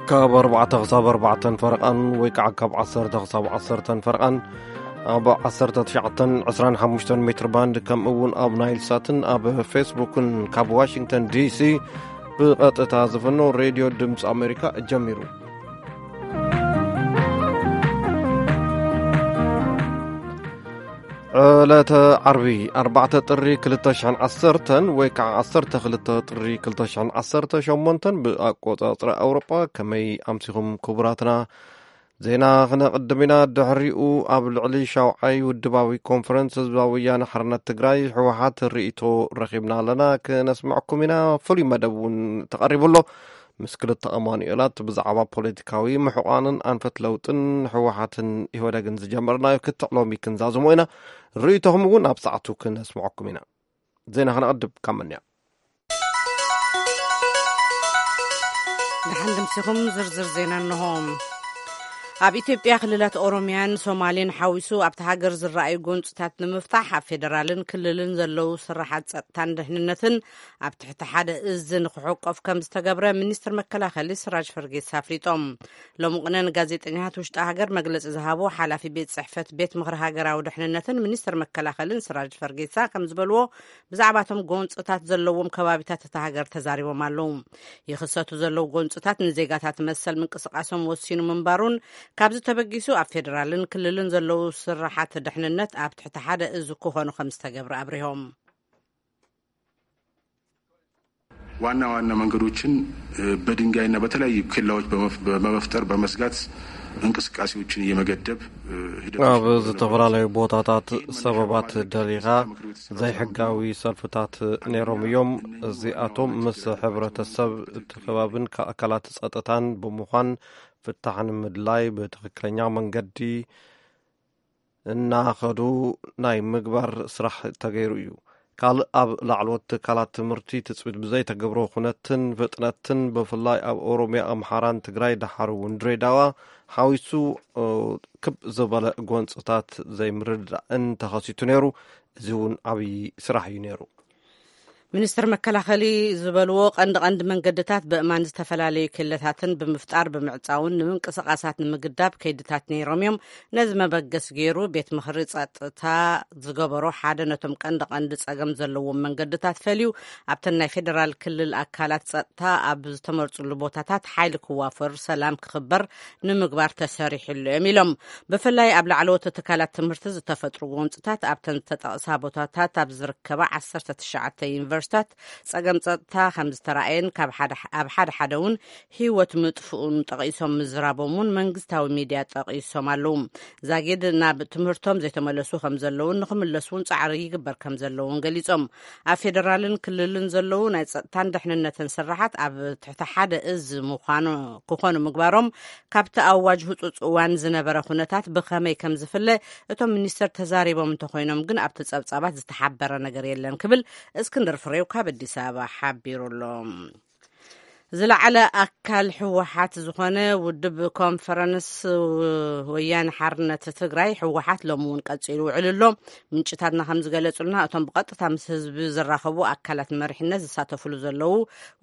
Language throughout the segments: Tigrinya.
ካብ ኣርባዕተ ክሳብ ኣርባዕተን ፈረቓን ወይ ከዓ ካብ ዓሰርተ ክሳብ ዓሰርተን ፈረቓን ኣብ ዓሰርተ ትሽዓተን ዕስራን ሓሙሽተን ሜትር ባንድ፣ ከምኡ እውን ኣብ ናይል ሳትን ኣብ ፌስቡክን ካብ ዋሽንግተን ዲሲ ብቐጥታ ዝፍኖ ሬድዮ ድምፂ ኣሜሪካ ጀሚሩ። ዕለተ ዓርቢ ኣርባዕተ ጥሪ ክልተ ሽሕን ዓሰርተን ወይ ከዓ ዓሰርተ ክልተ ጥሪ ክልተ ሽሕን ዓሰርተ ሸሞንተን ብኣቆፃፅራ ኣውሮጳ። ከመይ ኣምሲኹም ክቡራትና? ዜና ክነቕድም ኢና። ድሕሪኡ ኣብ ልዕሊ ሻውዓይ ውድባዊ ኮንፈረንስ ህዝባዊ ወያነ ሓርነት ትግራይ ህወሓት ርእይቶ ረኺብና ኣለና፣ ክነስምዐኩም ኢና። ፍሉይ መደብ እውን ተቐሪቡ ኣሎ። ምስ ክልተ ኣማኑኤላት ብዛዕባ ፖለቲካዊ ምሕቋንን ኣንፈት ለውጥን ህወሓትን ኢህወደግን ዝጀመርናዮ ክትዕ ሎሚ ክንዛዝሞ ኢና። ርእይቶኹም እውን ኣብ ሰዓቱ ክነስምዐኩም ኢና። ዜና ክነቐድም ካብ መን እያ? ደሓን ድምሲኹም ዝርዝር ዜና እንሆ። ኣብ ኢትዮጵያ ክልላት ኦሮሚያን ሶማሌን ሓዊሱ ኣብቲ ሃገር ዝረኣዩ ጎንፅታት ንምፍታሕ ኣብ ፌደራልን ክልልን ዘለዉ ስራሓት ጸጥታን ደሕንነትን ኣብ ትሕቲ ሓደ እዝ ንክሕቆፍ ከም ዝተገብረ ሚኒስትር መከላኸሊ ስራጅ ፈርጌሳ ኣፍሊጦም። ሎሚ ቅነ ንጋዜጠኛታት ውሽጢ ሃገር መግለፂ ዝሃቡ ሓላፊ ቤት ጽሕፈት ቤት ምኽሪ ሃገራዊ ደሕንነትን ሚኒስትር መከላኸልን ስራጅ ፈርጌሳ ከም ዝበልዎ፣ ብዛዕባቶም ጎንፅታት ዘለዎም ከባቢታት እታ ሃገር ተዛሪቦም ኣለዉ። ይኽሰቱ ዘለዉ ጎንፅታት ንዜጋታት መሰል ምንቅስቃሶም ወሲኑ ምንባሩን፣ ካብዚ ተበጊሱ ኣብ ፌደራልን ክልልን ዘለዉ ስራሓት ደሕንነት ኣብ ትሕቲ ሓደ እዝ ክኾኑ ከም ዝተገብረ ኣብሪሆም። ዋና ዋና መንገዶችን በድንጋይና በተለያዩ ኬላዎች በመፍጠር በመስጋት እንቅስቃሴዎችን እየመገደብ ሂደት ኣብ ዝተፈላለዩ ቦታታት ሰበባት ደሪኻ ዘይሕጋዊ ሰልፍታት ነይሮም እዮም። እዚኣቶም ምስ ሕብረተሰብ እቲ ከባብን ኣካላት ጸጥታን ብምዃን ፍታሕ ንምድላይ ብትኽክለኛ መንገዲ እናኸዱ ናይ ምግባር ስራሕ ተገይሩ እዩ። ካልእ ኣብ ላዕለዎት ትካላት ትምህርቲ ትፅቢት ብዘይተገብሮ ኩነትን ፍጥነትን ብፍላይ ኣብ ኦሮሚያ፣ ኣምሓራን ትግራይ ደሓር እውን ድሬዳዋ ሓዊሱ ክብ ዝበለ ጎንፅታት ዘይምርድዳእን ተኸሲቱ ነይሩ። እዚ እውን ዓብዪ ስራሕ እዩ ነይሩ። ሚኒስትር መከላኸሊ ዝበልዎ ቀንዲ ቀንዲ መንገድታት ብእማን ዝተፈላለዩ ኬለታትን ብምፍጣር ብምዕፃውን ንምንቅስቃሳት ንምግዳብ ከይድታት ነይሮም እዮም። ነዚ መበገስ ገይሩ ቤት ምኽሪ ፀጥታ ዝገበሮ ሓደ ነቶም ቀንዲ ቀንዲ ፀገም ዘለዎም መንገድታት ፈልዩ ኣብተን ናይ ፌደራል ክልል ኣካላት ፀጥታ ኣብ ዝተመርፅሉ ቦታታት ሓይሊ ክዋፈር ሰላም ክኽበር ንምግባር ተሰሪሕሉ እዮም ኢሎም። ብፍላይ ኣብ ላዕለዎት ትካላት ትምህርቲ ዝተፈጥሩ ጎንፅታት ኣብተን ዝተጠቕሳ ቦታታት ኣብ ዝርከባ ዓሰርተ ትሽዓተ ዩኒቨርሲታት ፀገም ፀጥታ ከም ዝተረኣየን ካብ ሓደ ኣብ ሓደ ሓደ እውን ህይወት ምጥፍኡን ጠቒሶም ምዝራቦም እውን መንግስታዊ ሚድያ ጠቒሶም ኣለዉ። ዛጊድ ናብ ትምህርቶም ዘይተመለሱ ከም ዘለውን ንክምለሱ እውን ፃዕሪ ይግበር ከም ዘለውን ገሊፆም። ኣብ ፌደራልን ክልልን ዘለዉ ናይ ፀጥታን ደሕንነትን ስራሓት ኣብ ትሕቲ ሓደ እዝ ምዃኑ ክኾኑ ምግባሮም ካብቲ ኣዋጅ ህፁፅ እዋን ዝነበረ ኩነታት ብኸመይ ከም ዝፍለ እቶም ሚኒስተር ተዛሪቦም እንተኾይኖም ግን ኣብቲ ፀብፃባት ዝተሓበረ ነገር የለን ክብል እስክንድር ፍሬው ካብ ኣዲስ ኣበባ ሓቢሩ ኣሎ። ዝለዓለ ኣካል ህወሓት ዝኾነ ውድብ ኮንፈረንስ ወያነ ሓርነት ትግራይ ህወሓት ሎሚ እውን ቀፂሉ ውዕሉ ኣሎ። ምንጭታትና ከም ዝገለፁልና እቶም ብቐጥታ ምስ ህዝቢ ዝራኸቡ ኣካላት መሪሕነት ዝሳተፍሉ ዘለዉ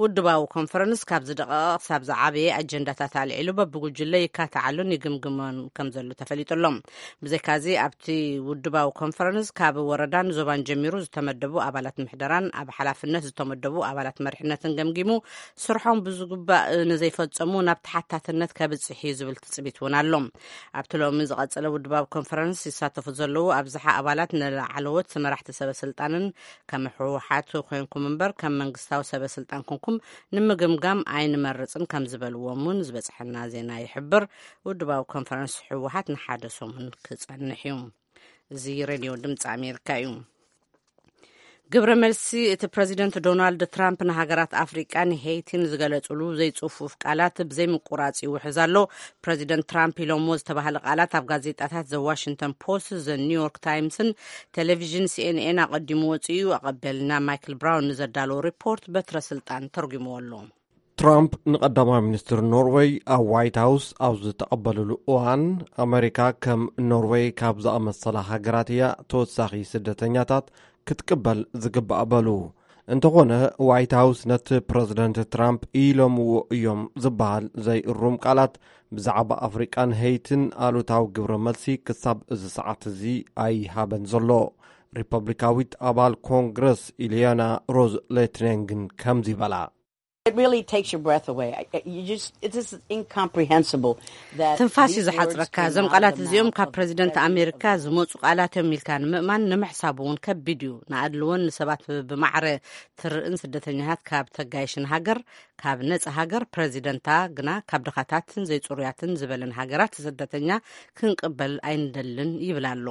ውድባዊ ኮንፈረንስ ካብ ዝደቐቐ ክሳብ ዝዓበየ ኣጀንዳታት ኣልዒሉ በብጉጅለ ይካትዓሉን ይግምግሞን ከም ዘሎ ተፈሊጡ ኣሎ። ብዘይካዚ ኣብቲ ውድባዊ ኮንፈረንስ ካብ ወረዳን ዞባን ጀሚሩ ዝተመደቡ ኣባላት ምሕደራን ኣብ ሓላፍነት ዝተመደቡ ኣባላት መሪሕነትን ገምጊሙ ስርሖም ብዝግባእ ንዘይፈፀሙ ናብ ተሓታትነት ከብፅሕ እዩ ዝብል ትፅቢት እውን ኣሎ። ኣብቲ ሎሚ ዝቐፀለ ውድባዊ ኮንፈረንስ ይሳተፉ ዘለዉ ኣብዝሓ ኣባላት ንላዕለዎት መራሕቲ ሰበ ስልጣንን ከም ህወሓት ኮንኩም እምበር ከም መንግስታዊ ሰበ ስልጣን ኮንኩም ንምግምጋም ኣይንመርፅን ከም ዝበልዎም እውን ዝበፅሐና ዜና ይሕብር። ውድባዊ ኮንፈረንስ ህወሓት ንሓደ ሰሙን ክፀንሕ እዩ። እዚ ሬድዮ ድምፂ ኣሜሪካ እዩ። ግብረ መልሲ እቲ ፕረዚደንት ዶናልድ ትራምፕ ንሃገራት ኣፍሪቃን ሄይቲን ዝገለጽሉ ዘይጽፉፍ ቃላት ብዘይ ምቁራጽ ይውሕዝ ኣሎ። ፕረዚደንት ትራምፕ ኢሎሞ ዝተባህለ ቃላት ኣብ ጋዜጣታት ዘ ዋሽንግተን ፖስት፣ ዘ ኒውዮርክ ታይምስን ቴሌቪዥን ሲኤንኤን ኣቐዲሙ ወጺኡ። ኣቐበልና ማይክል ብራውን ንዘዳለዎ ሪፖርት በትረ ስልጣን ተርጉምዎ ኣሎ። ትራምፕ ንቐዳማይ ሚኒስትር ኖርወይ ኣብ ዋይት ሃውስ ኣብ ዝተቐበልሉ እዋን፣ ኣመሪካ ከም ኖርወይ ካብ ዝኣመሰላ ሃገራት እያ ተወሳኺ ስደተኛታት ክትቅበል ዝግባእ በሉ። እንተኾነ፣ ዋይት ሃውስ ነቲ ፕረዚደንት ትራምፕ ኢሎምዎ እዮም ዝበሃል ዘይእሩም ቃላት ብዛዕባ ኣፍሪቃን ሄይትን ኣሉታዊ ግብረ መልሲ ክሳብ እዚ ሰዓት እዚ ኣይሃበን ዘሎ። ሪፐብሊካዊት ኣባል ኮንግረስ ኢልያና ሮዝ ሌትኔንግን ከምዚ በላ። It really takes your breath away. I- I- You just, it is incomprehensible that ትንፋስ እዩ these words ዝሓጽረካ። came እዞም out of ቃላት the እዚኦም mouth ካብ of the ፕረዚደንት president of ኣሜሪካ the ዝመጹ ቃላት እዮም ኢልካ ንምእማን ንምሕሳብ እውን ከቢድ እዩ። ንኣድልዎን ንሰባት ብማዕረ ትርእን ስደተኛታት ካብ ተጋይሽን ሃገር፣ ካብ ነጻ ሃገር፣ ፕረዚደንታ ግና ካብ ድኻታትን ዘይጽሩያትን ዝበለን ሃገራት ስደተኛ ክንቅበል ኣይንደልን ይብል ኣሎ።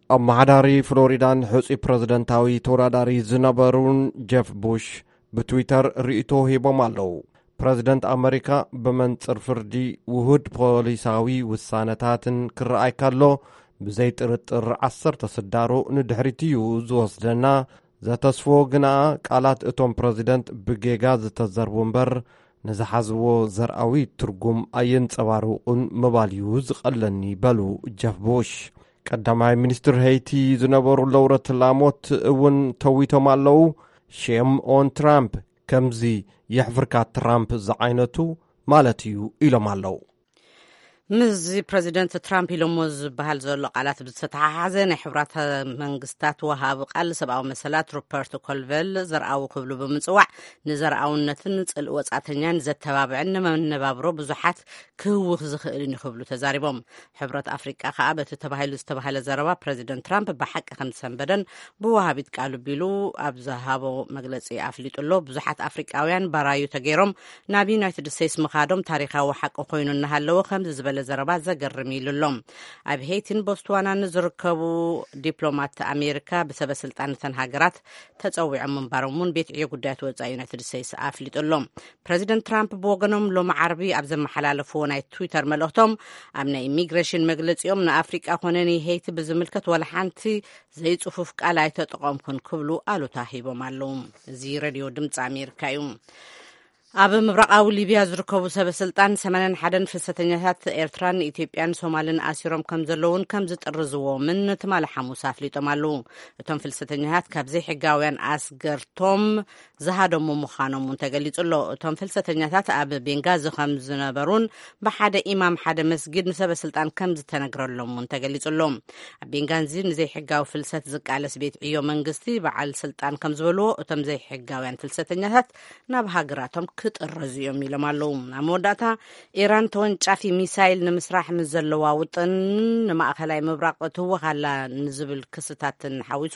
ኣመሓዳሪ ፍሎሪዳን ሕጹይ ፕረዚደንታዊ ተወዳዳሪ ዝነበሩን ጀፍ ቡሽ ብትዊተር ርእይቶ ሂቦም ኣለዉ። ፕረዚደንት ኣመሪካ ብመንጽር ፍርዲ ውሁድ ፖሊሳዊ ውሳነታትን ክረኣይ ከሎ፣ ብዘይ ጥርጥር ዓሰርተ ስዳሩ ንድሕሪት እዩ ዝወስደና። ዘተስፎ ግና ቃላት እቶም ፕረዚደንት ብጌጋ ዝተዘርቡ እምበር ንዝሓዝዎ ዘርኣዊ ትርጉም ኣየንጸባርቑን ምባል እዩ ዝቐለኒ በሉ ጀፍ ቡሽ። ቀዳማይ ሚኒስትር ሄይቲ ዝነበሩ ለውረት ላሞት እውን ተዊቶም ኣለዉ። ሼም ኦን ትራምፕ፣ ከምዚ የሕፍርካ ትራምፕ ዝዓይነቱ ማለት እዩ ኢሎም ኣለዉ። ምስዚ ፕረዚደንት ትራምፕ ኢሎሞ ዝበሃል ዘሎ ቃላት ብዝተተሓሓዘ፣ ናይ ሕብራት መንግስታት ወሃቢ ቃል ሰብኣዊ መሰላት ሩፐርት ኮልቨል ዘርኣዊ ክብሉ ብምጽዋዕ፣ ንዘርኣውነትን ጽልኢ ወጻእተኛን ዘተባብዕን ንመነባብሮ ብዙሓት ክህውኽ ዝኽእልን እዩ ክብሉ ተዛሪቦም። ሕብረት ኣፍሪቃ ከኣ በቲ ተባሂሉ ዝተባህለ ዘረባ ፕረዚደንት ትራምፕ ብሓቂ ከም ዝሰንበደን ብወሃቢት ቃሉ ቢሉ ኣብ ዝሃቦ መግለጺ ኣፍሊጡ ኣሎ። ብዙሓት ኣፍሪቃውያን ባራዩ ተገይሮም ናብ ዩናይትድ ስቴትስ ምኻዶም ታሪኻዊ ሓቂ ኮይኑ እናሃለወ፣ ከምዚ ዝበለ ዘረባ ዘገርም ኢሉ ኣሎ። ኣብ ሄይቲን ቦትስዋናን ዝርከቡ ዲፕሎማት ኣሜሪካ ብሰበ ስልጣን እተን ሃገራት ተጸዊዖም ምንባሮም እውን ቤት ዕዮ ጉዳያት ወጻኢ ዩናይትድ ስቴትስ ኣፍሊጡ ኣሎ። ፕረዚደንት ትራምፕ ብወገኖም ሎሚ ዓርቢ ኣብ ዘመሓላለፍዎ ናይ ትዊተር መልእኽቶም፣ ኣብ ናይ ኢሚግሬሽን መግለጺኦም ንኣፍሪቃ ኮነ ንሄይቲ ብዝምልከት ዋላ ሓንቲ ዘይጽፉፍ ቃል ኣይተጠቐምኩን ክብሉ ኣሉታ ሂቦም ኣለዉ። እዚ ሬድዮ ድምፂ ኣሜሪካ እዩ። ኣብ ምብራቓዊ ሊብያ ዝርከቡ ሰበ ስልጣን ሰማንያን ሓደን ፍልሰተኛታት ኤርትራን ኢትዮጵያን ሶማልን ኣሲሮም ከም ዘለውን ከም ዝጥርዝዎምን ትማሊ ሓሙስ ኣፍሊጦም ኣለዉ። እቶም ፍልሰተኛታት ካብ ዘይሕጋውያን ኣስገርቶም ዝሃደሙ ምዃኖም እውን ተገሊጹ ኣሎ። እቶም ፍልሰተኛታት ኣብ ቤንጋዚ ከም ዝነበሩን ብሓደ ኢማም ሓደ መስጊድ ንሰበ ስልጣን ከም ዝተነግረሎም እውን ተገሊጹ ኣሎ። ኣብ ቤንጋዚ ንዘይሕጋዊ ፍልሰት ዝቃለስ ቤት ዕዮ መንግስቲ በዓል ስልጣን ከም ዝበልዎ፣ እቶም ዘይሕጋውያን ፍልሰተኛታት ናብ ሃገራቶም ክጥረዙ እዮም ኢሎም ኣለዉ። ኣብ መወዳእታ፣ ኢራን ተወንጫፊ ሚሳይል ንምስራሕ ምስ ዘለዋ ውጥን ንማእኸላይ ምብራቕ ትህወኽ ኣላ ንዝብል ክስታትን ሓዊሱ፣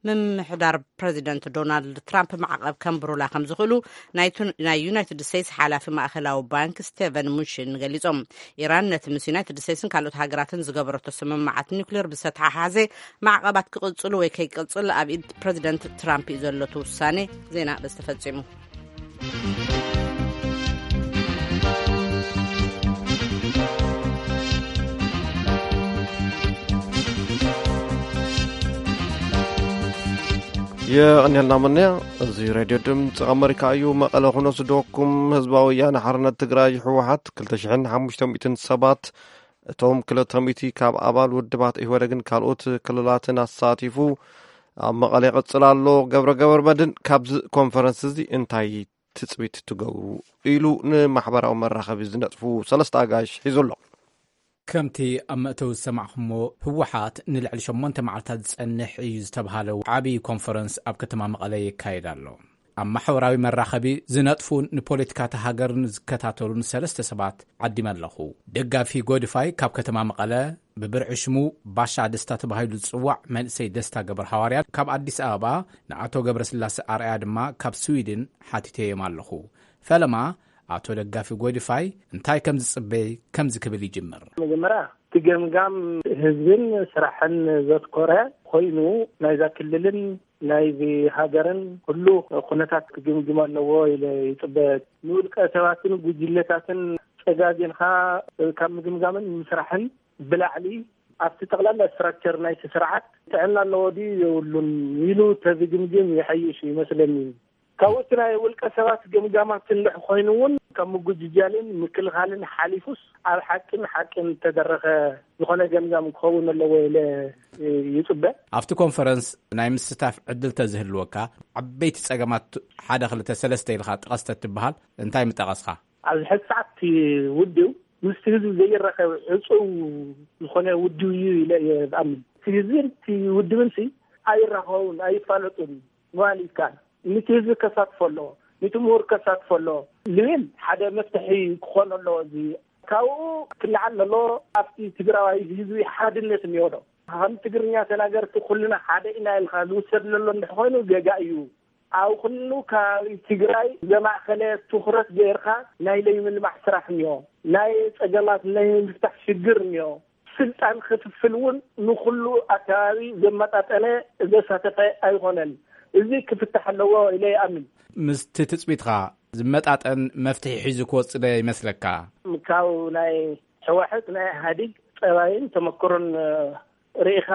ምምሕዳር ፕረዚደንት ዶናልድ ትራምፕ ማዕቐብ ከንብሩላ ከም ዝኽእሉ ናይ ቱ-፣ ናይ ዩናይትድ ስቴትስ ሓላፊ ማእኸላዊ ባንክ ስቴቨን ሙሽን ገሊጾም። ኢራን ነቲ ምስ ዩናይትድ ስቴትስን ካልኦት ሃገራትን ዝገበረቶ ስምምዓት ኒውክሌር ብዝተተሓሓዘ ማዕቐባት ክቕጽሉ ወይ ከይቅጽል ኣብ ኢድ ፕረዚደንት ትራምፕ እዩ ዘሎ እቲ ውሳኔ። ዜና በዚ ተፈጺሙ። የቐንየልና መነያ። እዚ ሬድዮ ድምፂ ኣመሪካ እዩ። መቐለ ክነስደኩም። ህዝባዊ ወያነ ሓርነት ትግራይ ህወሓት ክልተ ሽሕን ሓሙሽተ ሚእትን ሰባት፣ እቶም ክልተ ሚእቲ ካብ ኣባል ውድባት ኢህወደግን ካልኦት ክልላትን ኣሳቲፉ ኣብ መቐለ ይቕፅል ኣሎ። ገብረ ገብረ መድን፣ ካብዚ ኮንፈረንስ እዚ እንታይ ትፅቢት ትገብሩ ኢሉ ንማሕበራዊ መራኸቢ ዝነጥፉ ሰለስተ ኣጋይሽ ሒዙ ኣሎ። ከምቲ ኣብ መእተዊ ዝሰማዕኹሞ፣ ህወሓት ንልዕሊ ሸሞንተ መዓልታት ዝጸንሕ እዩ ዝተብሃለ ዓብዪ ኮንፈረንስ ኣብ ከተማ መቐለ የካይድ ኣሎ። ኣብ ማሕበራዊ መራኸቢ ዝነጥፉን ንፖለቲካ እታ ሃገርን ዝከታተሉን ሰለስተ ሰባት ዓዲመ ኣለኹ። ደጋፊ ጎድፋይ ካብ ከተማ መቐለ፣ ብብርዒ ሽሙ ባሻ ደስታ ተባሂሉ ዝጽዋዕ መንእሰይ ደስታ ገብረ ሃዋርያ ካብ ኣዲስ ኣበባ፣ ንኣቶ ገብረስላሴ ኣርኣያ ድማ ካብ ስዊድን ሓቲተዮም ኣለኹ። ፈለማ ኣቶ ደጋፊ ጎድፋይ እንታይ ከም ዝጽበይ ከምዚ ክብል ይጅምር። መጀመርያ፣ እቲ ገምጋም ህዝብን ስራሕን ዘትኮረ ኮይኑ፣ ናይዛ ክልልን ናይዚ ሃገርን ኩሉ ኩነታት ክግምግም ኣለዎ ኢለ ይጽበ። ንውልቀ ሰባትን ጉጅለታትን ጸጋጊንካ ካብ ምግምጋምን ምስራሕን ብላዕሊ፣ ኣብቲ ጠቕላላ ስትራክቸር ናይቲ ስርዓት ጥዕና ኣለዎ ድዩ የብሉን ኢሉ ተዝግምግም ይሐይሽ ይመስለኒ። ካብኡ እቲ ናይ ውልቀ ሰባት ገምጋማት እንድሕ ኮይኑ እውን ካብ ምጉጅጃልን ምክልኻልን ሓሊፉስ ኣብ ሓቅን ሓቅን ተደረኸ ዝኾነ ገምጋም ክኸውን ኣለዎ ኢለ ይጽበ። ኣብቲ ኮንፈረንስ ናይ ምስታፍ ዕድል ተዝህልወካ፣ ዓበይቲ ጸገማት ሓደ ክልተ ሰለስተ ኢልካ ጥቀስ ተትበሃል እንታይ ምጠቐስካ? ኣብዚ ሕዚ ሰዓት እቲ ውድብ ምስቲ ህዝቢ ዘይራኸብ ዕጹው ዝኾነ ውድብ እዩ ኢለ እየ ዝኣምን። እቲ ህዝብን እቲ ውድብን ሲ ኣይራኸቡን፣ ኣይፋለጡን ምባል ይከኣል። ነቲ ህዝቢ ከሳትፎ ኣለዎ፣ ነቲ ምሁር ከሳትፎ ኣለዎ ዝብል ሓደ መፍትሒ ክኾን ኣለዎ። እዚ ካብኡ ክለዓል ኣለዎ። ኣብቲ ትግራዋይ ህዝቢ ሓድነት እኒኦ ዶ? ከም ትግርኛ ተናገርቲ ኩልና ሓደ ኢና ኢልካ ዝውሰድ ዘሎ እንድሕር ኮይኑ ገጋ እዩ። ኣብ ኩሉ ከባቢ ትግራይ ዘማእኸለ ትኹረት ገይርካ ናይ ለይምልማዕ ስራሕ እኒኦ፣ ናይ ጸገማት ናይ ምፍታሕ ሽግር እኒኦ። ስልጣን ክፍፍል እውን ንኹሉ ኣከባቢ ዘመጣጠነ ዘሳተፈ ኣይኾነን። እዚ ክፍታሕ ኣለዎ ኢለ ይኣምን። ምስቲ ትጽቢትኻ ዝመጣጠን መፍትሒ ሒዙ ክወጽእ ዶ ይመስለካ? ካብ ናይ ህወሓት ናይ ኢህኣዴግ ጠባይን ተመክሮን ርኢኻ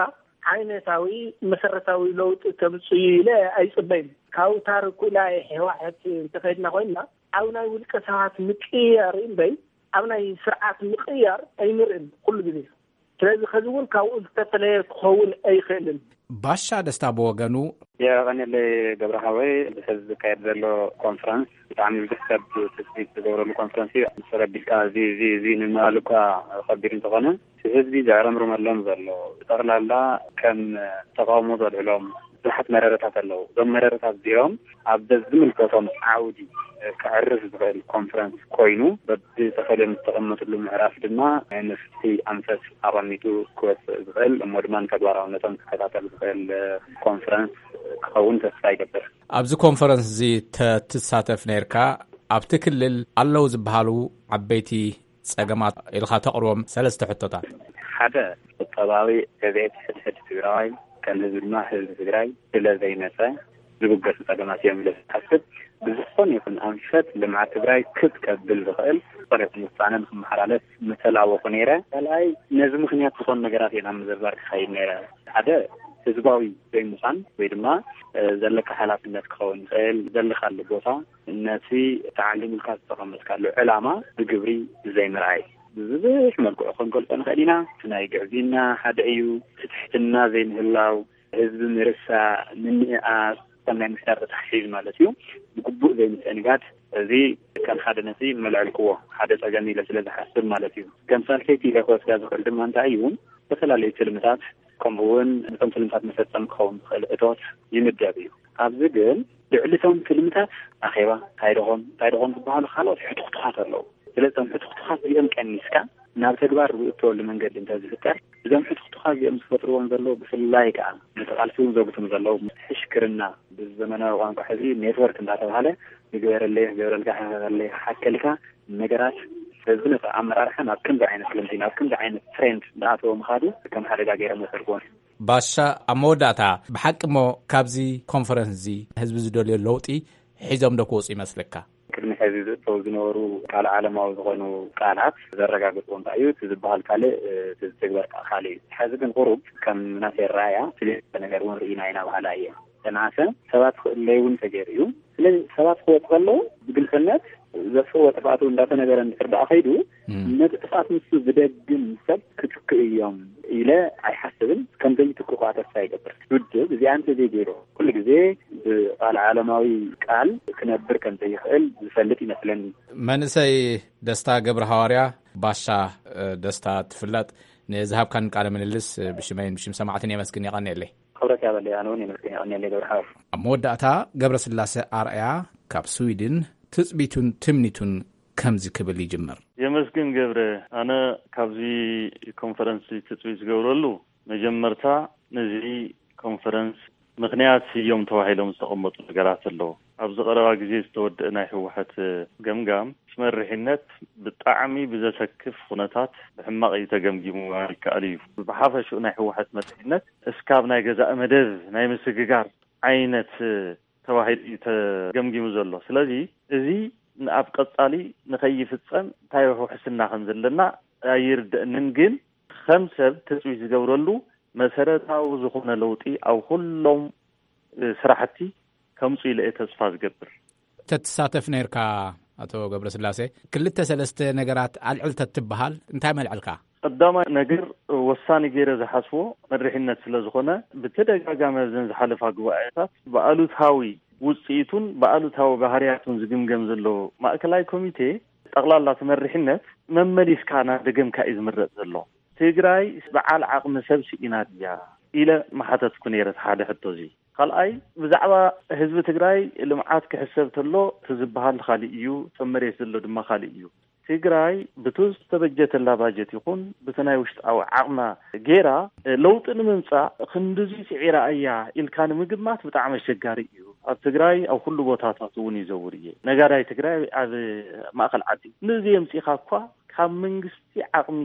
ዓይነታዊ መሰረታዊ ለውጢ ከምጽእ ኢለ ኣይጽበይን። ካብ ታሪኩ ናይ ህወሓት እንተኸድና ኮይና ኣብ ናይ ውልቀ ሰባት ምቅያር እምበይ ኣብ ናይ ስርዓት ምቅያር ኣይንርእን ኩሉ ግዜ። ስለዚ ከዚ እውን ካብኡ ዝተፈለየ ክኸውን ኣይኽእልን። ባሻ ደስታ ብወገኑ የቐንየለይ ገብረ ሓወይ፣ ብሕዚ ዝካየድ ዘሎ ኮንፈረንስ ብጣዕሚ ብዙሕ ሰብ ትፅቢት ዝገብረሉ ኮንፈረንስ እዩ። ተረዲእካ እዚ እዚ እዚ ንምባል እኳ ከቢድ እንተኾነ፣ ህዝቢ ዘዕረምርመሎም ዘሎ ብጠቕላላ ከም ተቃውሞ ዘልዕሎም ብዙሓት መረረታት ኣለዉ። እዞም መረረታት እዚኦም ኣብ ዝምልከቶም ዓውዲ ከዕርፍ ዝኽእል ኮንፈረንስ ኮይኑ፣ በብተፈልዮም ዝተቐመጥሉ ምዕራፍ ድማ ናይ መፍትሒ ኣንፈት ኣቐሚጡ ክወፅእ ዝኽእል እሞ ድማ ንተግባራውነቶም ክከታተል ዝኽእል ኮንፈረንስ ክኸውን ተስፋ ይገብር። ኣብዚ ኮንፈረንስ እዚ ተትሳተፍ ነይርካ፣ ኣብቲ ክልል ኣለዉ ዝበሃሉ ዓበይቲ ጸገማት ኢልካ ተቕርቦም ሰለስተ ሕቶታት። ሓደ፣ ቁጠባዊ ዕቤት ሕድሕድ ትግራዋይ ከም ህዝቢ ድማ ህዝቢ ትግራይ ስለ ዘይመጸ ዝብገሱ ጸገማት እዮም ኢለ ዝሓስብ። ብዝኾነ ይኹን ኣንፈት ልምዓት ትግራይ ክብ ከብል ዝኽእል ዝኾነ ይኹን ውሳነ ንክመሓላለፍ ምተላወኹ ነይረ። ካልኣይ፣ ነዚ ምኽንያት ዝኾኑ ነገራት እየ ናብ ምዝርዛር ክኸይድ ነይረ። ሓደ፣ ህዝባዊ ዘይምዃን ወይ ድማ፣ እ፣ ዘለካ ሓላፍነት ክኸውን ይኽእል፣ ዘለካሉ ቦታ፣ ነቲ ተዓሊምልካ ዝተቐመጥካሉ ዕላማ ብግብሪ ዘይምርኣይ። ብብዙሕ መልክዑ ክንገልጾ ንኽእል ኢና። እቲ ናይ ግዕዝይና ሓደ እዩ። እቲ ትሕትና ዘይምህላው፣ ህዝቢ ምርሳዕ፣ ምንእኣስ፣ ከም ናይ ምሕዳር ተተሓሒዙ ማለት እዩ። ብግቡእ ዘይምትእንጋድ፣ እዚ ከም ሓደ ነጥቢ መልዐልክዎ፣ ሓደ ጸገም ኢለ ስለ ዝሓስብ ማለት እዩ። ከም ሳልሰይቲ ኢለ ክወስዳ ዝኽእል ድማ እንታይ እዩ? ዝተፈላለዩ ትልምታት፣ ከምኡ እውን ነቶም ትልምታት መፈጸሚ ክኸውን ዝኽእል እቶት ይምደብ እዩ። ኣብዚ ግን ልዕሊ እቶም ትልምታት ኣኼባ፣ እንታይ ደኾም እንታይ ደኾም ዝበሃሉ ካልኦት ሕቱኽቱኻት ኣለዉ። ስለዚ እቶም ሕቱኽቱኻት እዚኦም ቀኒስካ ናብ ተግባር ዝእተወሉ መንገዲ እንተዝፍጠር፣ እዞም ሕቱኽቱኻት እዚኦም ዝፈጥርዎም ዘለዉ፣ ብፍላይ ከዓ ነቲ ቃልሲ እውን ዘጉትም ዘለዉ ሕሽክርና፣ ብዘመናዊ ቋንቋ ሕዚ ኔትወርክ እንዳተባሃለ፣ ንግበረለይ፣ ክገብረልካ፣ ክሕኸለይ፣ ክሓከልካ፣ ነገራት ህዝቢ ነቲ ኣመራርሓ ናብ ከምዚ ዓይነት ልምዲ፣ ናብ ከምዚ ዓይነት ትሬንድ እንዳኣተወ ምኻዱ ከም ሓደጋ ገይሮም ወሰድክዎም። ባሻ፣ ኣብ መወዳእታ፣ ብሓቂ እሞ ካብዚ ኮንፈረንስ እዚ ህዝቢ ዝደልዮ ለውጢ ሒዞም ዶ ክወፁ ይመስለካ? ቅድሚ ሕዚ ዝእተው ዝነበሩ ካልእ ዓለማዊ ዝኾኑ ቃላት ዘረጋግፅዎ እንታይ እዩ? እቲ ዝበሃል ካልእ፣ እቲ ዝትግበር ከዓ ካልእ እዩ። ሕዚ ግን ቁሩብ ከም ናተይ ኣረኣእያ ፍልይ ዝበለ ነገር እውን ርኢና ኢና በሃላይ እየ። ተናሰ ሰባት ክእለዩ እውን ተገይሩ እዩ። ስለዚ ሰባት ክወፁ ከለዉ ብግልፅነት ዘጥፍእዎ ጥፍኣት እውን እንዳተነገረ እንድሕር ደኣ ከይዱ፣ እም። ነቲ ጥፍኣት ንሱ ዝደግም ሰብ ክትክኡ እዮም ኢለ ኣይሓስብን። ከም ዘይትክኡ ከዓ ተስፋ ይገብር። ውድብ እዚኣ እንተዘይገይሩ፣ ኩሉ ግዜ ብቃል ዓለማዊ ቃል ክነብር ከም ዘይኽእል ዝፈልጥ ይመስለኒ። መንእሰይ ደስታ ገብረ ሃዋርያ፣ ባሻ፣ እ፣ ደስታ ትፍለጥ፣ ንዝሃብካን ቃለ ምልልስ፣ እ፣ ብሽመይን ብሽም ሰማዕትን የመስግን። የቐንየለይ። ክብረት ያበለይ፣ ኣነ እውን የመስግን። የቐንየለይ ገብረ ሓወይ። ኣብ መወዳእታ፣ ገብረስላሴ ኣርኣያ ካብ ስዊድን ትጽቢቱን ትምኒቱን ከምዚ ክብል ይጅምር። የመስግን ገብረ፣ ኣነ ካብዚ ኮንፈረንስ ትጽቢት ዝገብረሉ፣ መጀመርታ ነዚ ኮንፈረንስ ምኽንያት እዮም ተባሂሎም ዝተቐመጡ ነገራት ኣለዉ። ኣብዚ ቀረባ ግዜ ዝተወደአ ናይ ህወሓት ገምጋም፣ ምስ መሪሕነት ብጣዕሚ ብዘሰክፍ ኩነታት ብሕማቕ እዩ ተገምጊሙ ምባል ይከኣል እዩ። ብሓፈሽኡ ናይ ህወሓት መሪሕነት እስካብ ናይ ገዛእ መደብ ናይ ምስግጋር ዓይነት ተባሂሉ እዩ ተገምጊሙ ዘሎ። ስለዚ እዚ ንኣብ ቀጻሊ ንኸይፍጸም እንታይ ውሕስና ከም ዘለና ኣይርደእንን፣ ግን ከም ሰብ ትጽቢት ዝገብረሉ መሰረታዊ ዝኾነ ለውጢ ኣብ ኩሎም፣ እ፣ ስራሕቲ ከምፁ ኢለ እየ ተስፋ ዝገብር። ተትሳተፍ ነርካ? ኣቶ ገብረስላሴ፣ ክልተ ሰለስተ ነገራት ኣልዕል ተትበሃል እንታይ መልዕልካ? ቀዳማይ ነገር፣ ወሳኒ ገይረ ዝሓስቦ መሪሕነት ስለ ዝኾነ፣ ብተደጋጋሚ ኣብዘን ዝሓለፋ ጉባኤታት ብኣሉታዊ ውፅኢቱን ብኣሉታዊ ባህርያቱን ዝግምገም ዘሎ ማእከላይ ኮሚቴ፣ ጠቕላላ እቲ መሪሕነት መመሊስካ ናብ ደገምካ እዩ ዝምረፅ ዘሎ። ትግራይ በዓል ዓቕሚ ሰብ ስኢና ድያ ኢለ መሓተትኩ ነይረ፣ እቲ ሓደ ሕቶ እዚ። ካልኣይ፣ ብዛዕባ ህዝቢ ትግራይ ልምዓት ክሕሰብ ተሎ፣ እቲ ዝበሃል ካልእ እዩ፣ እቶም መሬት ዘሎ ድማ ካልእ እዩ። ትግራይ ብቱ ዝተበጀተላ ባጀት ይኹን ብቲ ናይ ውሽጣዊ ዓቕማ ጌራ ለውጢ ንምምፃእ ክንድዚ ስዒራ እያ ኢልካ ንምግማት ብጣዕሚ ኣሸጋሪ እዩ። ኣብ ትግራይ ኣብ ኩሉ ቦታታት እውን ይዘውር እየ። ነጋዳይ ትግራይ ኣብ ማእኸል ዓዲ ንዚ የምፂኻ እኳ ካብ መንግስቲ ዓቕሚ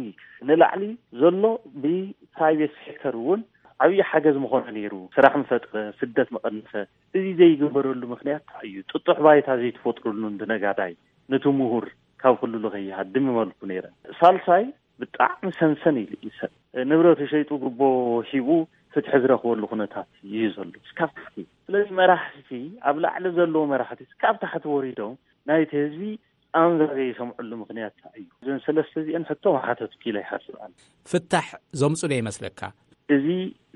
ንላዕሊ ዘሎ ብፕራይቬት ሴክተር እውን ዓብዪ ሓገዝ ምኾነ ነይሩ። ስራሕ ምፈጥረ፣ ስደት ምቐንሰ። እዚ ዘይግበረሉ ምኽንያት እንታይ እዩ? ጥጡሕ ባይታ ዘይትፈጥሩሉ ንነጋዳይ፣ ነቲ ምሁር ካብ ክልሉ ከይሃድም ይመልኩ ነይረ። ሳልሳይ፣ ብጣዕሚ ሰንሰን ኢሉ እዩ ሰብ። ንብረቱ ሸይጡ ጉቦ ሂቡ ፍትሒ ዝረኽበሉ ኩነታት እዩ ዘሎ እስካብ ታሕቲ። ስለዚ መራሕቲ፣ ኣብ ላዕሊ ዘለዉ መራሕቲ እስካብ ታሕቲ ወሪዶም ናይቲ ህዝቢ ኣንዛዘ ይሰምዕሉ ምኽንያት እንታይ እዩ? እዘን ሰለስተ እዚአን ሕቶ ምሓተትኩ ኢለ ይሓስብ ኣነ። ፍታሕ ዘምፁ ዶ ይመስለካ? እዚ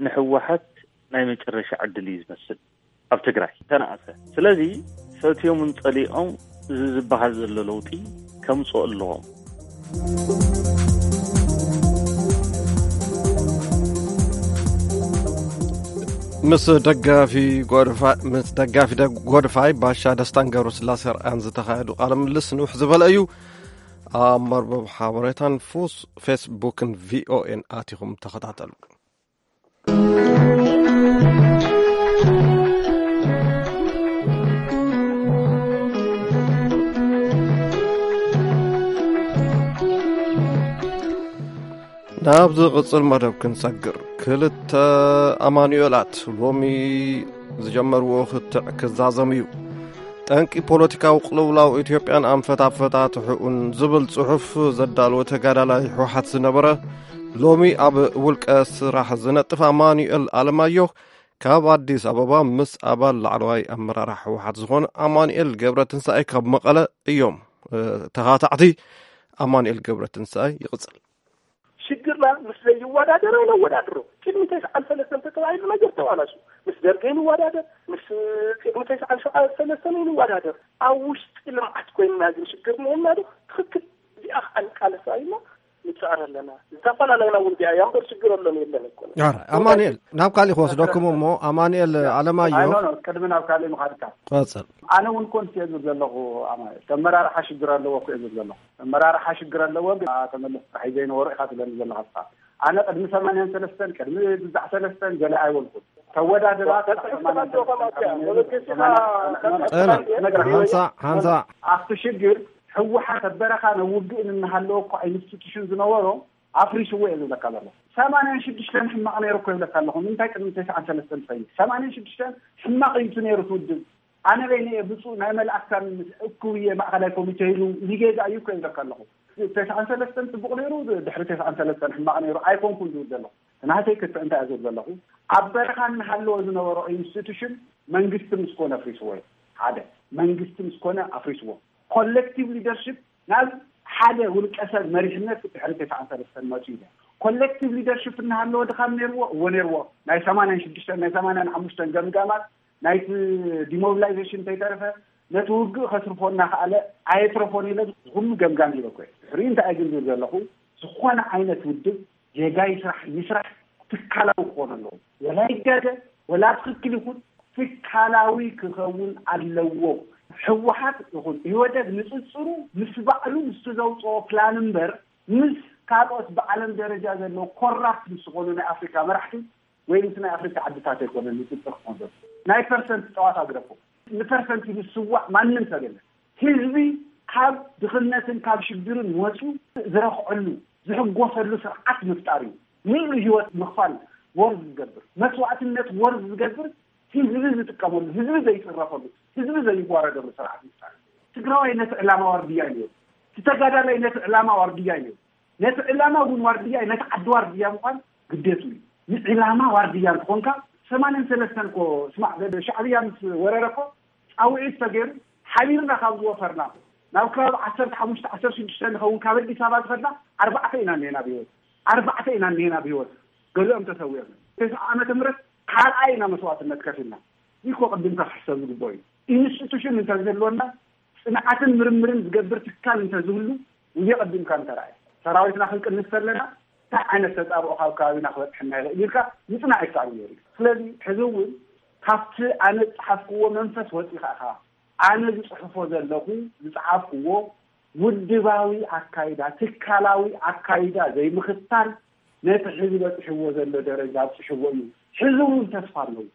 ንህወሓት ናይ መጨረሻ ዕድል እዩ ዝመስል። ኣብ ትግራይ ተነኣሰ። ስለዚ ፈትዮምን ጸሊኦም እዚ ዝበሃል ዘሎ ለውጢ ከምፅኦ ኣለዎም። ምስ ደጋፊ ጎድፋ-፣ ምስ ደጋፊ ደ-፣ ጎድፋይ ባሻ ደስታን ገብረስላሴ ኣርኣያን ዝተኻየዱ ቃለ ምልልስ ንውሕ ዝበለ እዩ። ኣብ መርበብ ሓበሬታን ፉስ-፣ ፌስቡክን ቪኦኤን ኣቲኹም ተኸታተሉ። ናብ ዝቕጽል መደብ ክንሰግር፣ ክልተ ኣማኑኤላት ሎሚ ዝጀመርዎ ክትዕ ክዛዘም እዩ። ጠንቂ ፖለቲካዊ ቅልውላው ኢትዮጵያን ኣንፈት ኣፈታትሕኡን ዝብል ጽሑፍ ዘዳለወ ተጋዳላይ ህወሓት ዝነበረ፣ ሎሚ ኣብ ውልቀ ስራሕ ዝነጥፍ ኣማኑኤል ኣለማየሁ፣ ካብ ኣዲስ ኣበባ ምስ ኣባል ላዕለዋይ ኣመራርሓ ህወሓት ዝኾነ ኣማኑኤል ገብረትንሳኤ ካብ መቐለ እዮም። እ፣ ተኻታዕቲ ኣማኑኤል ገብረትንሳኤ ይቕጽል። ሽግርና ምስ ዘይወዳደር ኣይነወዳድሮ። ቅድሚ ተስዓን ሰለስተን ተተባሂሉ ነገር ተባላሹ። ምስ ደርግ ኣይንወዳደር፣ ምስ ቅድሚ ተስዓን ሰለስተን ኣይንወዳደር። ኣብ ውሽጢ ልምዓት ኮይንና ግን ሽግር እኒኤና ዶ? ትኽክል። እዚኣ ከዓ ንቃለሳ ኢልና ንፅዕር ኣለና። ዝተፈላለዩና እውን ቢያ እያ እምበር ሽግር ኣሎን የለን እኮ። ኣረ፣ ኣማኑኤል፣ ናብ ካሊእ ክወስደኩም እሞ፣ ኣማኑኤል ኣለማየሁ። ኣይ፣ ኖ፣ ኖ፣ ቅድሚ ናብ ካሊእ ምኻድካ። ቀጽል። ኣነ እውን ኮንስ እየ ዝብል ዘለኹ ኣማኑኤል። ተመራርሓ ሽግር ኣለዎ እኮ እየ ዝብል ዘለኹ። ተመራርሓ ሽግር ኣለዎ፣ ግን ተመለስ ጥራሕ እዩ ዘይነበሮ ኢኻ ትብለኒ ዘለኻ እስኻ። ኣነ ቅድሚ ሰማንያን ሰለስተን፣ ቅድሚ ብዛዕ ሰለስተን ገለ ኣይበልኩን። ተወዳድራ፣ ተወዳድራ፣ ተወዳድራ፣ ተወዳድራ፣ ተወዳድራ፣ ተወዳድራ፣ ተወዳድራ፣ ተወዳድራ፣ ተወዳድራ፣ ሓንሳእ፣ ሓንሳእ። ኣብቲ ሽግር ህወሓት ኣብ በረኻ ናብ ውግእ እናሃለወ እኳ ኢንስቲቱሽን ዝነበሮ ኣፍሪስዎ እየ ዝብለካ ዘለኹ። ሰማንያን ሽዱሽተን ሕማቕ ነይሩ እኮ ይብለካ ኣለኹ። ንምንታይ ቅድሚ ተስዓን ሰለስተን ትኸይድ? ሰማንያን ሽዱሽተን ሕማቕ እዩ እቲ ነይሩ እቲ ውድብ። ኣነ በይነ እየ ብፁዕ ናይ መልኣክታን እኩብ እየ ማእኸላይ ኮሚቴ ኢሉ ሊጌጋ እዩ እኮ ይብለካ ኣለኹ። ተስዓን ሰለስተን ፅቡቕ ነይሩ፣ ድሕሪ ተስዓን ሰለስተን ሕማቕ ነይሩ ኣይኮንኩን ዝብል ዘለኹ። ናተይ ክትዕ እንታይ እየ ዝብል ዘለኹ? ኣብ በረኻ እናሃለወ ዝነበሮ ኢንስቲቱሽን መንግስቲ ምስ ኮነ ኣፍሪስዎ እዩ። ሓደ መንግስቲ ምስ ኮነ ኣፍሪስዎ። ኮሌክቲቭ ሊደርሽፕ ናብ ሓደ ውልቀ ሰብ መሪሕነት ድሕሪ ተስዓን ሰለስተን መፅኡ እዩ። ኮሌክቲቭ ሊደርሽፕ እናሃለወ ድኻም ነይርዎ፣ እዎ ነይርዎ። ናይ ሰማንያን ሽዱሽተን ናይ ሰማንያን ሓሙሽተን ገምጋማት ናይቲ ዲሞቢላይዜሽን እንተይተረፈ ነቲ ውግእ ከትርፎ እናኸኣለ ኣየትረፎን ኢለ ኩሉ ገምጋም ኢለ እኮ እየ። ድሕሪኡ እንታይ እየ ግን ዝብል ዘለኹ? ዝኾነ ዓይነት ውድብ ጌጋ ይስራሕ ይስራሕ ትካላዊ ክኾን ኣለዎ። ወላ ይጋገ ወላ ትኽክል ይኹን ትካላዊ ክኸውን ኣለዎ። ህወሓት ይኹን ኢህወደግ ንፅፅሩ ምስ ባዕሉ ምስቲ ዘውፅኦ ፕላን እምበር ምስ ካልኦት ብዓለም ደረጃ ዘለዉ ኮራፕት ምስ ዝኾኑ ናይ ኣፍሪካ መራሕቲ ወይ ምስ ናይ ኣፍሪካ ዓድታት ኣይኮነን ንፅፅር ክኾን ዘሎ። ናይ ፐርሰንት ፀዋታ ግደፎ። ንፐርሰንት ዝስዋዕ ማንም ሰብ የለን። ህዝቢ ካብ ድኽነትን ካብ ሽግርን ወፂኡ ዝረኽዐሉ ዝሕጎሰሉ ስርዓት ምፍጣር እዩ። ምሉእ ህይወት ምኽፋል ወርዝ ዝገብር፣ መስዋዕትነት ወርዝ ዝገብር ህዝቢ ዝጥቀመሉ፣ ህዝቢ ዘይፅረፈሉ፣ ህዝቢ ዘይዋረደሉ ስርዓት ምፍጣር እዩ። ትግራዋይ ነቲ ዕላማ ዋርድያ እዩ ነይሩ። እቲ ተጋዳላይ ነቲ ዕላማ ዋርድያ እዩ ነይሩ። ነቲ ዕላማ እውን ዋርድያ እዩ፣ ነቲ ዓዲ ዋርድያ ምዃን ግዴቱ እዩ። ንዕላማ ዋርድያ እንተኾንካ ሰማንያን ሰለስተን እኮ ስማዕ፣ ሻዕብያ ምስ ወረረ እኮ ፃውዒት ተገይሩ ሓቢርና ካብ ዝወፈርና ናብ ከባቢ ዓሰርተ ሓሙሽተ ዓሰርተ ሽዱሽተ ንኸውን ካብ ኣዲስ ኣበባ ዝኸድና ኣርባዕተ ኢና እኒሄና ብህይወት። ኣርባዕተ ኢና እኒሄና ብህይወት። ገሊኦም ተሰዊኦም። ተስዓ ዓመተ ምህረት ካልኣይ ኢና መስዋእትነት ከፊልና። ይኮ ቅድምካ ክሕሰብ ዝግብኦ እዩ። ኢንስቲቱሽን እንተዝህልወና፣ ፅንዓትን ምርምርን ዝገብር ትካል እንተዝህሉ፣ ውየ ቀዲምካ እንተረኣየ ሰራዊትና ክንቅንስ ተለና እንታይ ዓይነት ተፃብኦ ካብ ከባቢና ክበፅሐና ይኽእል ኢልካ ምፅናዕ ይከኣል ነይሩ እዩ። ስለዚ ሕዚ እውን ካብቲ ኣነ ዝፀሓፍክዎ መንፈስ ወፂኻ ኢኻ። ኣነ ዝፅሕፎ ዘለኹ፣ ዝፀሓፍክዎ ውድባዊ ኣካይዳ፣ ትካላዊ ኣካይዳ ዘይምኽታል ነቲ ሕዚ በፂሕዎ ዘሎ ደረጃ ኣብፅሕዎ እዩ። ሕዚ እውን ተስፋ ኣለዎ።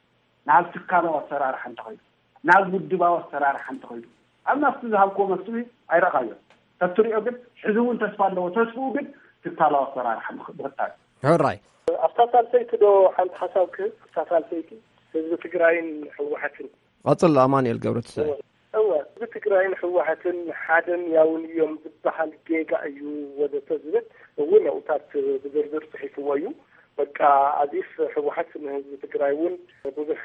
ናብ ትካላዊ ኣሰራርሓ እንተኸይዱ፣ ናብ ውድባዊ ኣሰራርሓ እንተኸይዱ፣ ኣብ ናብቲ ዝሃብክዎ መፍትሒ ኣይረኣኻዮን። ተትሪኦ ግን ሕዚ እውን ተስፋ ኣለዎ። ተስፍኡ ግን ትካላዊ ኣሰራርሓ ምኽ- ምኽታል። ሕራይ። ኣብታ ሳልሰይቲ ዶ ሓንቲ ሓሳብ ክህብ? ኣብታ ሳልሰይቲ ህዝቢ ትግራይን ህወሓትን። ቀፅል ኣማኑኤል ገብረትንሳኤ። እወ፣ ህዝቢ ትግራይን ህወሓትን ሓደን ያውን እዮም ዝበሃል ጌጋ እዩ ወዘተ ዝብል እውን ኣብታት ብዝርዝር ፅሒፍዎ እዩ። በቃ ኣዚፍ ህወሓት ንህዝቢ ትግራይ እውን ብዙሕ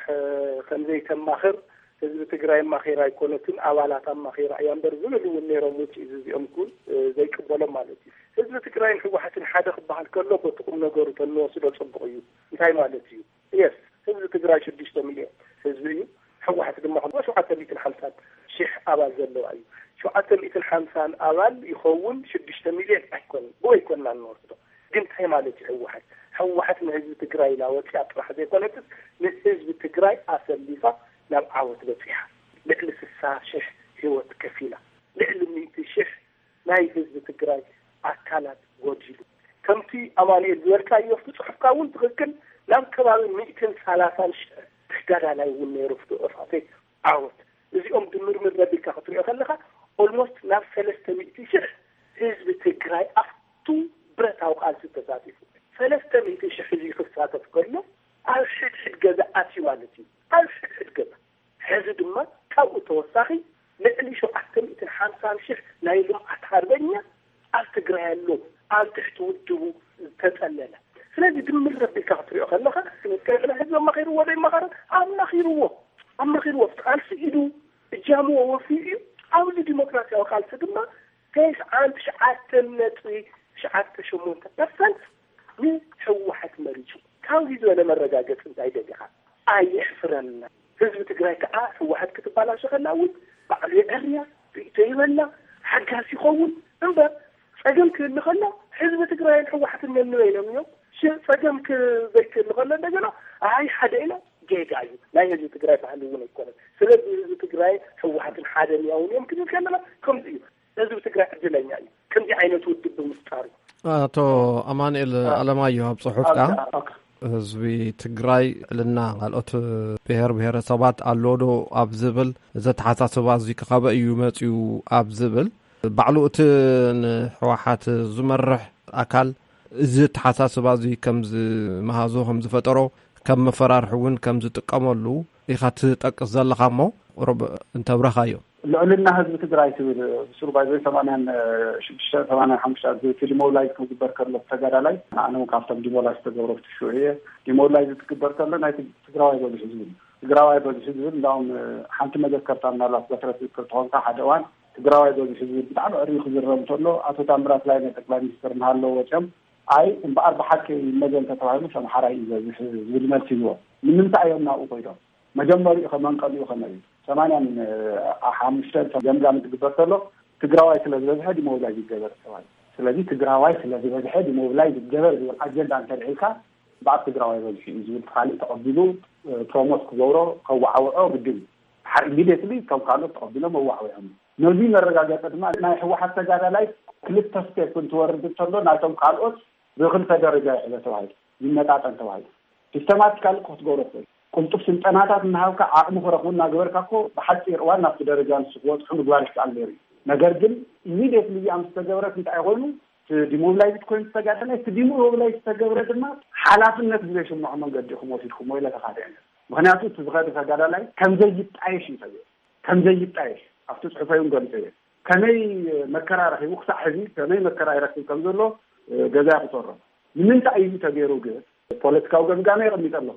ከምዘይተማኽር፣ ህዝቢ ትግራይ ኣማኺራ ኣይኮነትን፣ ኣባላት ኣማኺራ እያ እምበር ዝብል እውን ነይሮም። ውፅኢት እዚኦም እውን ዘይቅበሎም ማለት እዩ። ህዝቢ ትግራይን ህወሓትን ሓደ ክበሃል ከሎ በቲ ቁም ነገሩ ተንወስዶ ፅቡቕ እዩ። እንታይ ማለት እዩ? የስ፣ ህዝቢ ትግራይ ሽዱሽተ ሚልዮን ህዝቢ እዩ። ህወሓት ድማ ሸውዓተ ሚእትን ሓምሳን ሺሕ ኣባል ዘለዋ እዩ። ሸውዓተ ሚእትን ሓምሳን ኣባል ይኸውን፣ ሽዱሽተ ሚልዮን ኣይኮነን። ብኡ ኣይኮንና እንወስዶ። ግን እንታይ ማለት እዩ ህወሓት? ህወሓት ንህዝቢ ትግራይ ኢላ ወፂኣ ጥራሕ ዘይኮነትስ ንህዝቢ ትግራይ ኣሰሊፋ ናብ ዓወት በፂሓ። ልዕሊ ስሳ ሽሕ ህይወት ከፊላ፣ ልዕሊ ሚእቲ ሽሕ ናይ ህዝቢ ትግራይ ኣካላት ጎዲሉ። ከምቲ ኣማኑኤል ዝበልካዮ፣ ኣብቲ ጽሑፍካ እውን ትኽክል፣ ናብ ከባቢ ሚእትን ሰላሳን ሽሕ ተጋዳላይ እውን ነይሩ ኣብቲ ኦፋፌ ዓወት። እዚኦም ድምርምር ኣቢልካ ክትሪኦ ከለኻ ኦልሞስት ናብ ሰለስተ ሚእቲ ሽሕ ህዝቢ ትግራይ ኣብቱ ብረታዊ ቃልሲ ተሳቲፉ። ሰለስተ ሚእቲ ሽሕ ህዝቢ ክሳተፍ ከሎ ኣብ ሕድሕድ ገዛ ኣትዩ ማለት እዩ። ኣብ ሕድሕድ ገዛ። ሕዚ ድማ ካብኡ ተወሳኺ ልዕሊ ሸውዓተ ሚእትን ሓምሳን ሽሕ ናይ ልምዓት ሃርበኛ ኣብ ትግራይ ኣሎ፣ ኣብ ትሕቲ ውድቡ ዝተጸለለ። ስለዚ ድምር ኣቢልካ ክትሪኦ ከለኻ፣ ክንከ ህዝቢ ኣማኺርዎ ዶ ይመኸረ? ኣማኺርዎ፣ ኣማኺርዎ። ቃልሲ ኢዱ እጃሙ ወፊዩ እዩ። ኣብዚ ዲሞክራሲያዊ ቃልሲ ድማ ተስዓን ትሽዓተን ነጥቢ ትሽዓተ ሸሞንተ ፐርሰንት ንህወሓት መሪጹ። ካብዚ ዝበለ መረጋገጺ እንታይ ደሊኻ? ኣየሕፍረና። ህዝቢ ትግራይ ከዓ ህወሓት ክትበላሾ ከላ እውን ባዕሉ የዐርያ፣ ርእይቶ ይበላ፣ ሓጋስ ይኸውን። እምበር ጸገም ክህሉ ከሎ ህዝቢ ትግራይን ህወሓትን ነንበይኖም እዮም። ሽ-፣ ጸገም ክ-፣ ዘይክህሉ ከሎ እንደገና ኣይ ሓደ ኢና፣ ጌጋ እዩ። ናይ ህዝቢ ትግራይ ባህሊ እውን ኣይኮነን። ስለዚ ህዝቢ ትግራይ ህወሓትን ሓደ ሚያውን እዮም ክንብል ከለና ከምዚ እዩ። ህዝቢ ትግራይ ዕድለኛ እዩ ከምዚ ዓይነት ውድብ ብምፍጣሩ። ኣቶ ኣማኑኤል ኣለማየሁ ኣብ ጽሑፍካ፣ ህዝቢ ትግራይ ልዕልና ካልኦት ብሔር ብሔረሰባት ኣሎ ዶ ኣብ ዝብል፣ እዚ ኣተሓሳስባ እዚ ከበይ እዩ መጺኡ ኣብ ዝብል፣ ባዕሉ እቲ ንህወሓት ዝመርሕ ኣካል እዚ ኣተሓሳስባ እዚ ከም ዝመሃዞ፣ ከም ዝፈጠሮ፣ ከም መፈራርሒ እውን ከም ዝጥቀመሉ ኢኻ ትጠቅስ ዘለኻ እሞ፣ ቁሩብ እንተብረኻዮ። ልዕልና ህዝቢ ትግራይ ትብል ብስሩ ባይዘ ሰማንያን ሽዱሽተ ሰማንያን ሓሙሽተ ዝብል ዲሞብላይዝ ክግበር ከሎ ተጋዳላይ፣ ኣነ እውን ካብቶም ዲሞብላይዝ ዝተገብረ ፍትሹ እየ። ዲሞብላይዝ ትግበር ከሎ ናይ ትግ-፣ ትግራዋይ በዝሑ ዝብል፣ ትግራዋይ በዝሑ ዝብል እንዳውም ሓንቲ መዘከርታ ምናልባት በትረት ዝክር ተኾንካ ሓደ እዋን ትግራዋይ በዝሑ ዝብል ብጣዕሚ ዕርዩ ክዝረብ እንተሎ ኣቶ ታምራት ላይነ ጠቅላይ ሚኒስትር እናሃለወ ወፅኦም ኣይ እምበኣር ብሓቂ ይመዘን ተተባሂሉ ኣምሓራይ እዩ በዝሕ ዝብል መልሲ ይህቦ። ንምንታይ እዮም ናብኡ ኮይዶም? መጀመሪኡ ከ መንቀሊኡ ከመይ እዩ? ሰማንያን ሓሙሽተን ገምጋም ዝግበር ከሎ ትግራዋይ ስለ ዝበዝሐ ዲሞብላይዝ ይገበር ተባሂሉ። ስለዚ ትግራዋይ ስለ ዝበዝሐ ዲሞብላይዝ ይገበር ዝብል ኣጀንዳ እንተልዒልካ ብኣብ ትግራዋይ በዝሑ እዩ ዝብል ካልእ ተቐቢሉ ፕሮሞት ክገብሮ ከወዓውዖ ግድን እዩ። ድሓር ኢሚድየትሊ እቶም ካልኦት ተቐቢሎም መዋዕዊዖም። ነዚ መረጋገፂ ድማ ናይ ህወሓት ተጋዳላይ ክልተ ስቴፕ እንትወርድ እንተሎ ናይቶም ካልኦት ብክልተ ደረጃ ይሕዘ ተባሂሉ ይመጣጠን ተባሂሉ። ሲስተማቲካሊ ክትገብሮ ትኽእል። ቅልጡፍ ስልጠናታት እናሃብካ ዓቕሚ ክረኽቡ እናገበርካ እኮ ብሓፂር እዋን ናብቲ ደረጃ ንሱ ክበፅሑ ምግባር ይከኣል ነይሩ እዩ። ነገር ግን ኢሚድየትሊ እዚኣ ምስ ተገበረት እንታይ ኮይኑ እቲ ዲሞብላይዝድ ኮይኑ ተጋደላይ እቲ ዲሞብላይዝ ዝተገብረ ድማ ሓላፍነት ብዘይስምዖ መንገዲ ኢኹም ወሲድኩሞ ኢለ ተኻትዐ። ምክንያቱ እቲ ዝኸደ ተጋዳላይ ከምዘይጣየሽ እዩ ተገይሩ። ከምዘይጣየሽ ኣብቲ ፅሑፈይ እውን ገሊፀ እየ። ከመይ መከራ ረኺቡ ክሳዕ ሕዚ ከመይ መከራ ይረክብ ከም ዘሎ ገዛ ይቁፀሮ። ንምንታይ እዩ ተገይሩ ግን ፖለቲካዊ ገምጋመ የቐሚጠ ኣለኹ።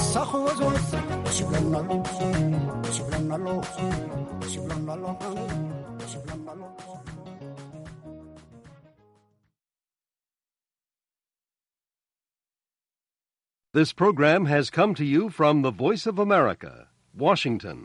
ሳኽወ ዝወስ ሽብለናሎ ሽብለናሎ ሽብለናሎ ሽብለናሎ። This program has come to you from the Voice of America, Washington.